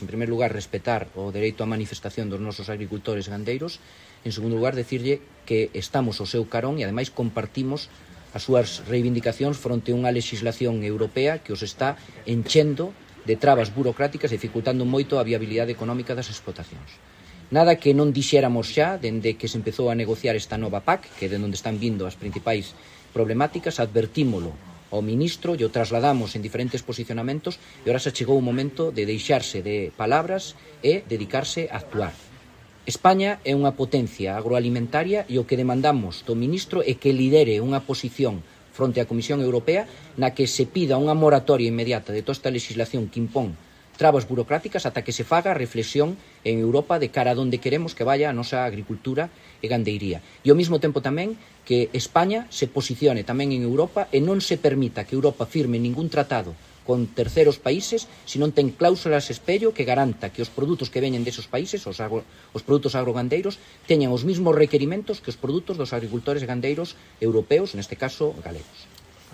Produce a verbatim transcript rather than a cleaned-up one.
En primer lugar, respetar o dereito á manifestación dos nosos agricultores e gandeiros. En segundo lugar, decirlle que estamos ao seu carón e, ademais, compartimos as súas reivindicacións fronte a unha legislación europea que os está enchendo de trabas burocráticas e dificultando moito a viabilidade económica das explotacións. Nada que non dixéramos xa, dende que se empezou a negociar esta nova P A C, que é de onde están vindo as principais problemáticas, advertímolo ao ministro e o trasladamos en diferentes posicionamentos e ahora se chegou o momento de deixarse de palabras e dedicarse a actuar. España é unha potencia agroalimentaria e o que demandamos do ministro é que lidere unha posición fronte á Comisión Europea na que se pida unha moratoria inmediata de toda esta legislación que impón trabas burocráticas ata que se faga reflexión en Europa de cara a onde queremos que vaya a nosa agricultura e gandeiría. E ao mesmo tempo tamén que España se posicione tamén en Europa e non se permita que Europa firme ningún tratado con terceros países se non ten cláusulas espello que garanta que os produtos que veñen desos países, os, agro, os produtos agrogandeiros, teñan os mesmos requerimentos que os produtos dos agricultores gandeiros europeos, neste caso galegos.